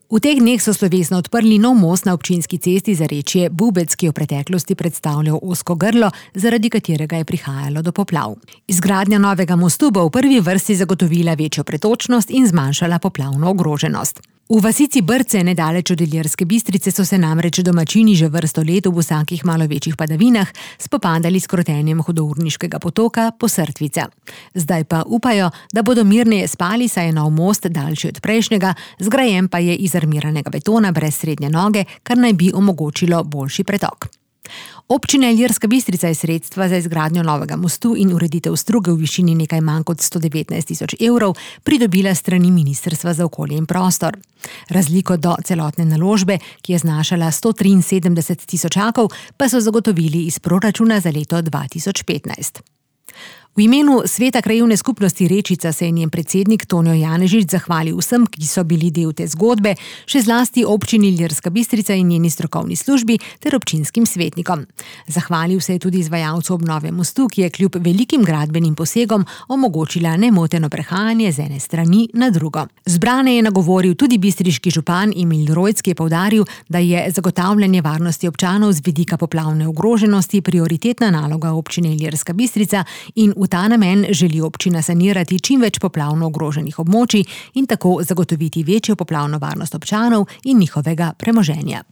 V teh dneh so slovesno odprli nov most na občinski cesti Zarečje Bubec, ki je v preteklosti predstavljal ozko grlo, zaradi katerega je prihajalo do poplav. Izgradnja novega mostu bo v prvi vrsti zagotovila večjo pretočnost in zmanjšala poplavno ogroženost. V vasici Brce, nedaleč od Ilirske Bistrice, so se namreč domačini že vrsto let v vsakih malo večjih padavinah spopadali s krotenjem hudourniškega potoka Posrtvica. Zdaj pa upajo, da bodo mirneje spali, saj je nov most daljši od prejšnjega, zgrajen pa je iz armiranega betona brez srednje noge, kar naj bi omogočilo boljši pretok. Občina Ilirska Bistrica je sredstva za izgradnjo novega mostu in ureditev struge v višini nekaj manj kot 119 000 evrov pridobila strani Ministrstva za okolje in prostor. Razliko do celotne naložbe, ki je znašala 173 tisočakov, pa so zagotovili iz proračuna za leto 2015. V imenu Sveta krajevne skupnosti Rečica se je njen predsednik Tonjo Janežič zahvalil vsem, ki so bili del te zgodbe, še zlasti občini Ilirska Bistrica in njeni strokovni službi ter občinskim svetnikom. Zahvalil se je tudi izvajalcu obnove mostu, ki je kljub velikim gradbenim posegom omogočila nemoteno prehajanje z ene strani na drugo. Zbrane je nagovoril tudi bistriški župan Emil Rojc, ki je poudaril, da je zagotavljanje varnosti občanov z vidika poplavne ogroženosti prioritetna naloga občine Ilirska Bistrica in v ta namen želi občina sanirati čim več poplavno ogroženih območij in tako zagotoviti večjo poplavno varnost občanov in njihovega premoženja.